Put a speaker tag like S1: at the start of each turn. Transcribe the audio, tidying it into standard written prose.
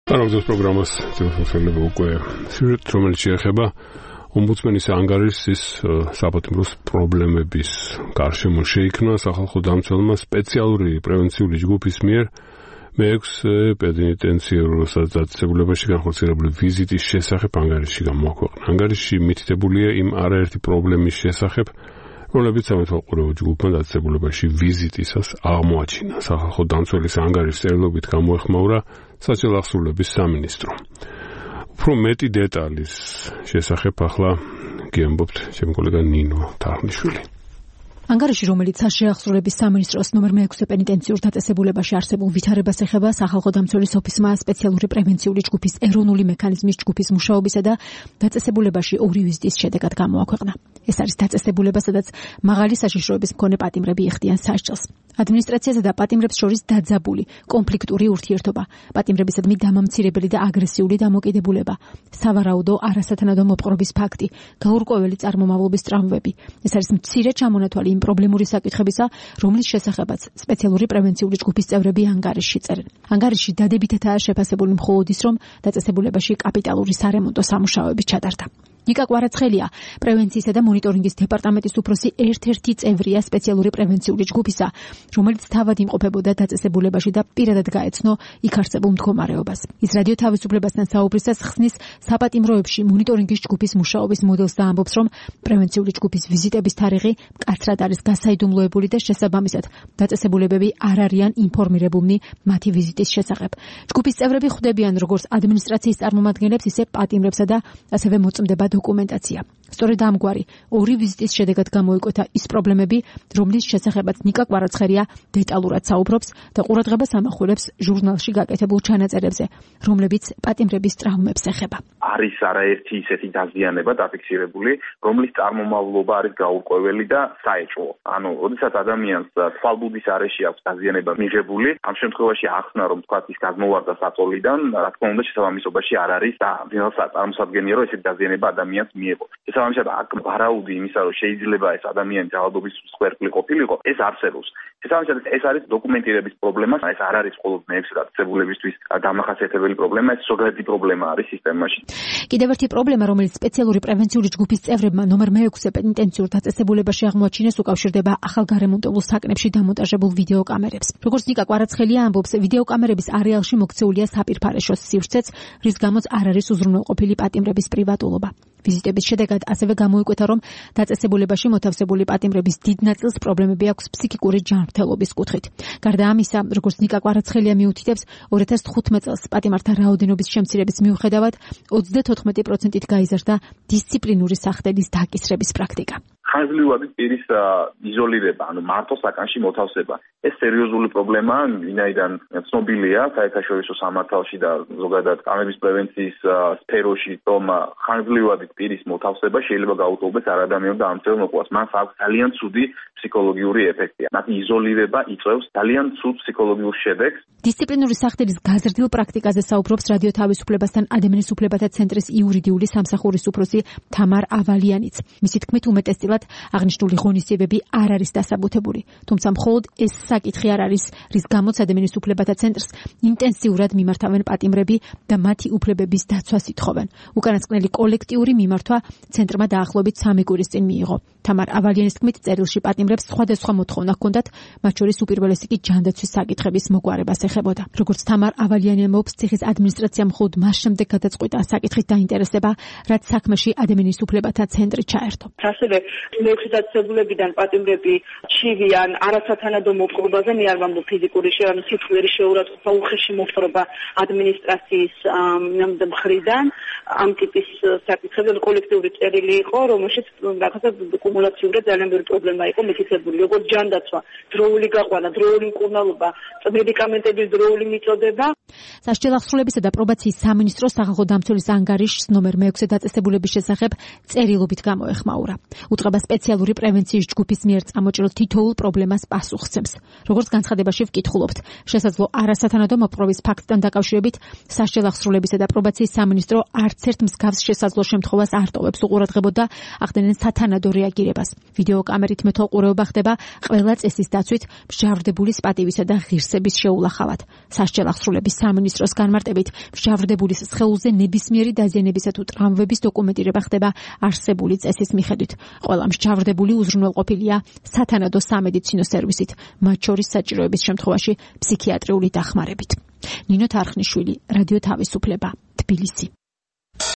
S1: Არაგზის პროგრამას წელიწადში უკვე სიუჟეტი, რომელიც შეეხება ომბუდსმენის ანგარიშის საპატიმროს პრობლემების გარშემო შეიქმნა სახალხო დამცველმა სპეციალური პრევენციული ჯგუფის მიერ მე-6 პენიტენციარულ დაწესებულებაში განხორციელებული ვიზიტის შესახებ ანგარიში გამოაქვეყნა. ანგარიში მითითებულია იმ არაერთი პრობლემის შესახებ, რომლებიც სამეთვალყურეო ჯგუფმა დაწესებულებაში ვიზიტისას აღმოაჩინა. სახალხო დამცველის ანგარიშის წერილობით გამოეხმაურა საჭირო ახსოვლების სამინისტრო. უფრო მეტი დეტალის შესახებ ახლა გიამბობთ ჩემი კოლეგა ნინო თარხნიშვილი.
S2: ანგარიში, რომელიც საშეახსრულების სამინისტროს ნომერ მე-6 პენიტენციურ დაწესებულებაში არსებულ ვითარებას ეხება, სახალხო დამცველის ოფისმა სპეციალური პრევენციული ჯგუფის ეროვნული მექანიზმის ჯგუფის მუშაობისა და დაწესებულებაში 2 ვიზიტის შედეგად გამოაქვეყნა. ეს არის დაწესებულება, სადაც მაღალი საშიშროების მქონე პატიმრები იხდიან სასჯელს. ადმინისტრაციასა და პატიმრებს შორის დაძაბული, კონფლიქტური ურთიერთობა, პატიმრებისადმი დამამცირებელი და აგრესიული დამოკიდებულება, სავარაუდო არასათანადო მოპყრობის ფაქტი, გაურკვეველი წარმომავლობის ტრავმები. ეს არის მცირე ჩამონათვალი იმ პრობლემური საკითხებისა, რომლის შესახებაც სპეციალური პრევენციული ჯგუფის წევრები ანგარიშში წერენ. ანგარიში დადებითადაა შეფასებული მხოლოდ ის, რომ დაწესებულებაში კაპიტალური სარემონტო სამუშაოები ჩატარდა. ნიკა კვარაცხელია, პრევენციისა და მონიტორინგის დეპარტამენტის უფროსი ერთ-ერთი წევრია სპეციალური პრევენციული ჯგუფისა, რომელიც თავად იმყოფებოდა დაწესებულებაში და პირადად გაეცნო იქ არსებულ მდგომარეობას. ის რადიო თავისუფლებასთან საუბრისას ხსნის საპატიმროებში მონიტორინგის ჯგუფის მუშაობის მოდელს და ამბობს, რომ პრევენციული ჯგუფის ვიზიტების თარიღი მკაცრად არის გასაიდუმლოებული და შესაბამისად დაწესებულებები არ არიან ინფორმირებულნი მათი ვიზიტის შესახებ. ჯგუფის წევრები ხვდებიან როგორც ადმინისტრაციის წარმომადგენლებს, ისე პატიმრებსა და ასევე მოწმდება დოკუმენტაცია. სწორედ ამგვარი 2 ვიზიტის შედეგად გამოიკვეთა ის პრობლემები, რომლის შესახებაც ნიკა კვარაცხელია დეტალურად საუბრობს და ყურადღებას ამახვილებს ჟურნალში გაკეთებულ ჩანაწერებზე, რომლებიც პატიმრების ტრავმებს ეხება.
S3: არის არაერთი ისეთი დაზიანება დაფიქსირებული, რომლის წარმომავლობა არის გაურკვეველი და საეჭვო. ანუ, როდესაც ადამიანს თვალბუდის არეში აქვს დაზიანება მიღებული, ამ შემთხვევაში ახსნა, რომ თქვა ის გადმოვარდა საწოლიდან, რა თქმა უნდა, შესაბამისობაში არ არის და წარმოსადგენია, რომ ესეთი დაზიანება ადამიანს მიიღო. შესაბამისად, აქ ვარაუდი იმისა, რომ შეიძლება ეს ადამიანი ძალადობის მსხვერპლი ყოფილიყო, ეს არსებობს. შესაბამისად, ეს არის დოკუმენტირების პრობლემა, ეს არ არის მხოლოდ მე-6 დაწესებულებისთვის დამახასიათებელი პრობლემა, ეს ზოგადი პრობლემა არის სისტემაში.
S2: კიდევ ერთი პრობლემა, რომელიც სპეციალური პრევენციული ჯგუფის წევრებმა ნომერ მე-6 პენიტენციურ დაწესებულებაში აღმოაჩინეს, უკავშირდება ახალგარემონტებულ საკნებში დამონტაჟებულ ვიდეოკამერებს. როგორც ნიკა კვარაცხელია ამბობს, ვიდეოკამერების არეალში მოქცეულია საპირფარეშოს სივრცეც, რის გამოც არ არის უზრუნველყოფილი პატიმრების პრივატულობა. ვიზიტების შედეგად ასევე გამოიკვეთა, რომ დაწესებულებაში მოთავსებული პატიმრების დიდ ნაწილს პრობლემები აქვს ფსიქიკური ჯანმრთელობის კუთხით. გარდა ამისა, როგორც ნიკა კვარაცხელია მიუთითებს, 2015 წელს პატიმართა რაოდენობის შემცირების მიუხედავად 34%-ით გაიზარდა დისციპლინური სახდელის დაკისრების პრაქტიკა.
S3: ხანგრძლივადი პირის იზოლირება, ანუ მარტო საკანში მოთავსება. ეს სერიოზული პრობლემაა, ვინაიდან ცნობილია საერთაშორისო სამართალში და ზოგადად კამების პრევენციის სფეროში, რომ ხანგრძლივადი პირის მოთავსება შეიძლება გაუტოლდეს არადამიანურ და ამცირებელ მოკვლას. მას აქვს ძალიან ცუდი ფსიქოლოგიური ეფექტი. მათი იზოლირება იწვევს ძალიან ცუდ ფსიქოლოგიურ შედეგს.
S2: დისციპლინური სახდელის გაზრდილ პრაქტიკაზე საუბრობს რადიო თავისუფლებასთან ადამიანის უფლებათა ცენტრის იურიდიული სამსახურის უფროსი თამარ ავალიანიც. მისი თქმით, უმეტესწილად აღნიშნული ღონისძიებები არ არის დასაბუთებული, თუმცა მხოლოდ ეს საკითხი არ არის, რის გამოც ადამიანის უფლებათა ცენტრს ინტენსიურად მიმართავენ პატიმრები და მათი უფლებების დაცვას ითხოვენ. უკანასკნელი კოლექტიური მიმართვა ცენტრმა დაახლოებით 3 კვირის წინ მიიღო. თამარ ავალიანის თქმით, წერილში პატიმრებს სხვადასხვა მოთხოვნა ჰქონდათ, მათ შორის უპირველესი კი ჯანდაცვის საკითხების მოგვარებას ეხებოდა. როგორც თამარ ავალიანი ამბობს, ციხის ადმინისტრაციამ მხოლოდ მას შემდეგ გადაწყვიტა საკითხით დაინტერესება, რაც საქმეში ადამიანის უფლებათა ცენტრი ჩაერთო.
S4: ასევე მე-6 დაწესებულებიდან პატიმრები ჩივიან არასათანადო მოპყრობაზე, მე არ ვამბობ ფიზიკური ანუ სიტყვიერი შეურაცხყოფა, უხეში მოპყრობა ადმინისტრაციის მხრიდან. ამ ტიპის საკითხები კოლექტიური წერილი იყო, რომელშიც რაღაცა კუმულაციურად ძალიან ბევრი პრობლემა იყო მითითებული, როგორც ჯანდაცვა, დროული გაყვანა, დროული მკურნალობა, მედიკამენტების დროული მიწოდება.
S2: სასჯელ ახსრულებისა და პრობაციის სამინისტრო სახალხო დამცველის ანგარიშს ნომერ მე-6 დაწესებულების შესახებ წერილობით გამოეხმაურა. უწყება განცხადება სპეციალური პრევენციის ჯგუფის მიერ წამოჭრილ თითოეულ პრობლემას პასუხსცემს. როგორც განცხადებაში ვკითხულობთ, შესაძლო არასათანადო მოპყრობის ფაქტთან დაკავშირებით სასჯელ აღსრულებისა და პრობაციის სამინისტრო არც ერთ მსგავს შესაძლო შემთხვევას არ ტოვებს უყურადღებოდ და ახდენენ სათანადო რეაგირებას. ვიდეო კამერით მეთვალყურეობა ხდება ყველა წესის დაცვით მსჯავრდებულის პატივისა და ღირსების შეულახავად. სასჯელ აღსრულების სამინისტროს განმარტებით, მსჯავრდებულის სხეულზე ნებისმიერი დაზიანებისა თუ ტრავმების დოკუმენტირება ხდება არსებული წესის მიხედვით. ყველა მსჯავრდებული უზრუნველყოფილია სათანადო სამედიცინო სერვისით, მათ შორის საჭიროების შემთხვევაში ფსიქიატრიული დახმარებით. ნინო თარხნიშვილი, რადიო თავისუფლება, თბილისი.